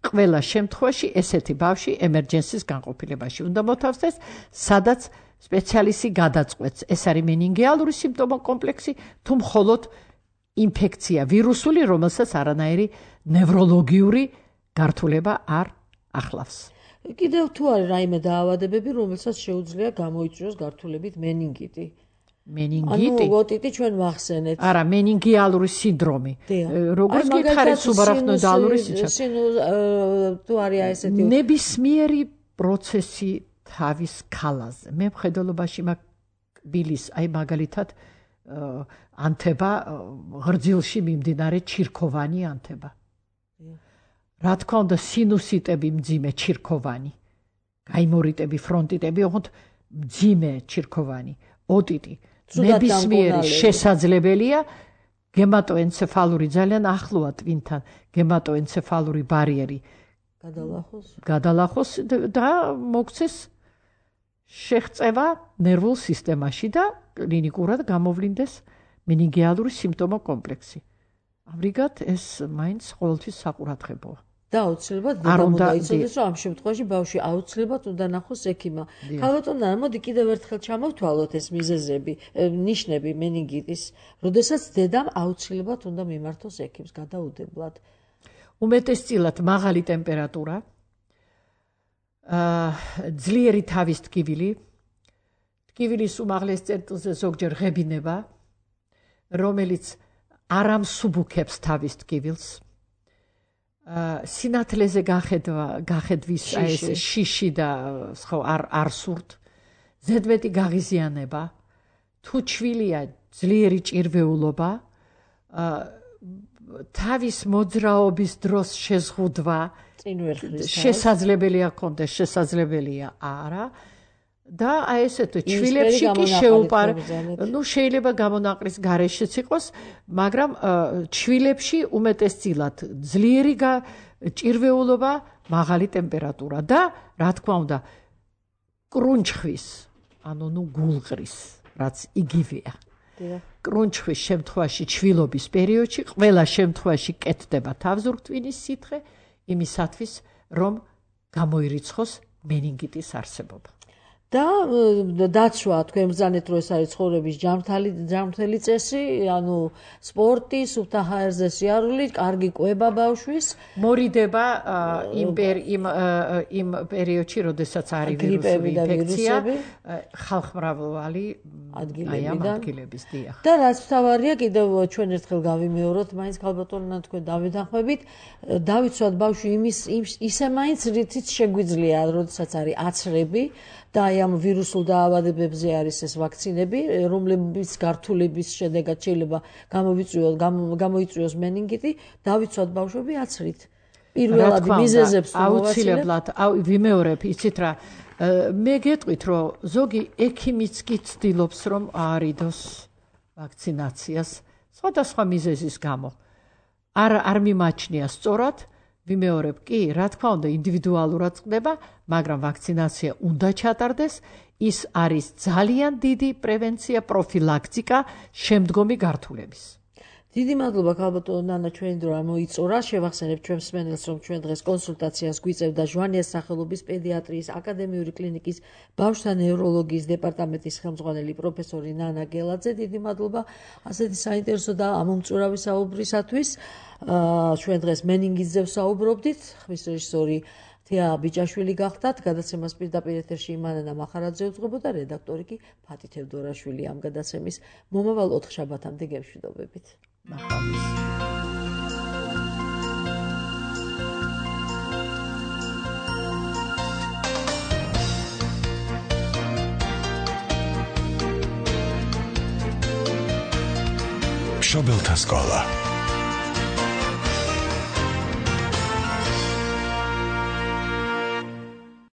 C: ყველა შემთხვევაში ესეთი ბავშვი ემერჯენსის განყოფილებაში უნდა მოთავსდეს, სადაც სპეციალისტი გადაწყვეტს, ეს არის მენინგიალური სიმპტომო კომპლექსი, თუ მხოლოდ ინფექცია ვირუსული, რომელსაც არანაირი ნევროლოგიური გართულება არ ახლავს.
B: კიდევ თუ არის რაიმე დაავადებები, რომელსაც შეუძლია გამოიწვიოს გართულებით მენინგიტი.
C: მენინგიტი?
B: ანუ ოტიტი ჩვენ ვახსენეთ.
C: არა, მენინგიალური სინდრომი. როგორც გითხარით, სუბარახნოდალური სიჩქარე.
B: თუ არის ესეთი
C: ნებისმიერი პროცესი თავის ქალაზე. მე მხედველობაში მაქვს ბილის, აი მაგალითად ანთება ღრძილში მიმდინარე ჩირქოვანი ანთება. რა თქმა უნდა, სინუსიტები მძიმე ჩირქოვანი, გაიმორიტები, ფრონტიტები, ოღონდ მძიმე ჩირქოვანი, ოტიტი. ნებისმიერი შესაძლებელია გემატოენცეფალური ძალიან ახლოა ტვინთან, გემატოენცეფალური ბარიერი
B: გადალახოს.
C: გადალახოს და მოქცეს შეღწევა ნერვულ სისტემაში და კლინიკურად გამოვლინდეს მენინგიალური სიმპტომო კომპლექსი. ამრიგად ეს მაინც ყოველთვის საყურადღებოა.
B: და აუცილებლად დედამ უნდა იცოდეს, რომ ამ შემთხვევაში ბავშვი აუცილებლად უნდა ნახოს ექიმმა. ქალბატონანა, მოდი კიდევ ერთხელ ჩამოვთვალოთ ეს მიზეზები, ნიშნები მენინგიტის, როდესაც დედამ აუცილებლად უნდა მიმართოს ექიმს გადაუდებლად.
C: უმეტესწილად მაღალი ტემპერატურა, ძლიერი თავის ტკივილი, ტკივილის უმაღლეს წერტილზე ზოგჯერ ღებინება, რომელიც არ ამსუბუქებს თავის ტკივილს, სინათლეზე გახედვის ეს შიში და ხო არ სურთ, ზედმეტი გაღიზიანება, თუ ჩვილია ძლიერი ჭირვეულობა, თავის მოძრაობის დროს შეზღუდვა, შესაძლებელია კონდეს, შესაძლებელია არა და აი ესეთ ჩვილებში კი შეუპარ, ну შეიძლება გამონაყრის გარეშეც იყოს, მაგრამ ჩვილებში უმეტესწილად ძლიერი ჭირვეულობა, მაღალი ტემპერატურა და რა თქმა უნდა კრუნჩხვის, ანუ ნუ გულყრის, რაც იგივეა. კრუნჩხვის შემთხვევაში ჩვილობის პერიოდში ყველა შემთხვევაში კეთდება თავზურგტვინის სითხე იმისათვის, რომ გამოირიცხოს მენინგიტის არსებობა.
B: და დაცვა, თქვენ ბრძანეთ, რომ ეს არის ცხოვრების ჯანმრთელი წესი, ანუ სპორტი, სუფთა ჰაერზე სიარული, კარგი კვება ბავშვის,
C: მორიდება იმ იმ პერიოდში, როდესაც არის ვირუსული ინფექცია, ხალხმრავალი ადგილების დიახ.
B: და რაც მთავარია, კიდევ ჩვენ ერთხელ გავიმეოროთ, მაინც ქალბატონო თქვენ დავეთანხმებით, დავიცვათ ბავშვი იმის ისე მაინც რითიც შეგვიძლია, როდესაც არის აცრები და აი ამ ვირუსულ დაავადებებზე არის ეს ვაქცინები, რომლებიც გართულების შედეგად შეიძლება გამოიწვიოს გამოიწვიოს მენინგიტი, დავიცვათ ბავშვები აცრით. პირველად მიზეზებს
C: აუცილებლად ვიმეორებ, იცით რა, მე გეტყვით, რომ ზოგი ექიმიც კი ცდილობს, რომ აარიდოს ვაქცინაციას სხვადასხვა მიზეზის გამო. არ არ მიმაჩნია სწორად, ვიმეორებ კი, რა თქმა უნდა, ინდივიდუალურად ხდება, მაგრამ ვაქცინაცია უნდა ჩატარდეს, ის არის ძალიან დიდი პრევენცია, პროფილაქტიკა შემდგომი გართულების.
B: დიდი მადლობა ქალბატონო ნანა, ჩვენი დრო ამოიწურა. შევახსენებ ჩვენ მსმენელს, რომ ჩვენ დღეს კონსულტაციას გვიწევდა ჟვანიას სახელობის პედიატრიის აკადემიური კლინიკის ბავშვთა ნევროლოგიის დეპარტამენტის ხელმძღვანელი პროფესორი ნანა გელაძე. დიდი მადლობა ასეთი საინტერესო და ამომწურავი საუბრისათვის. ჩვენ დღეს მენინგიტზე ვსაუბრობდით. ხმის რეჟისორი თეა ბიჭაშვილი გახდათ, გადაცემას პირდაპირ ეთერში იმანანა მახარაძე უძღვებოდა, რედაქტორი კი ფათი თევდორაშვილი. ამ გადაცემის მომავალ ოთხ შაბათამდე გემშვიდობებით. ნახვამდის.
F: მშობელთა სკოლა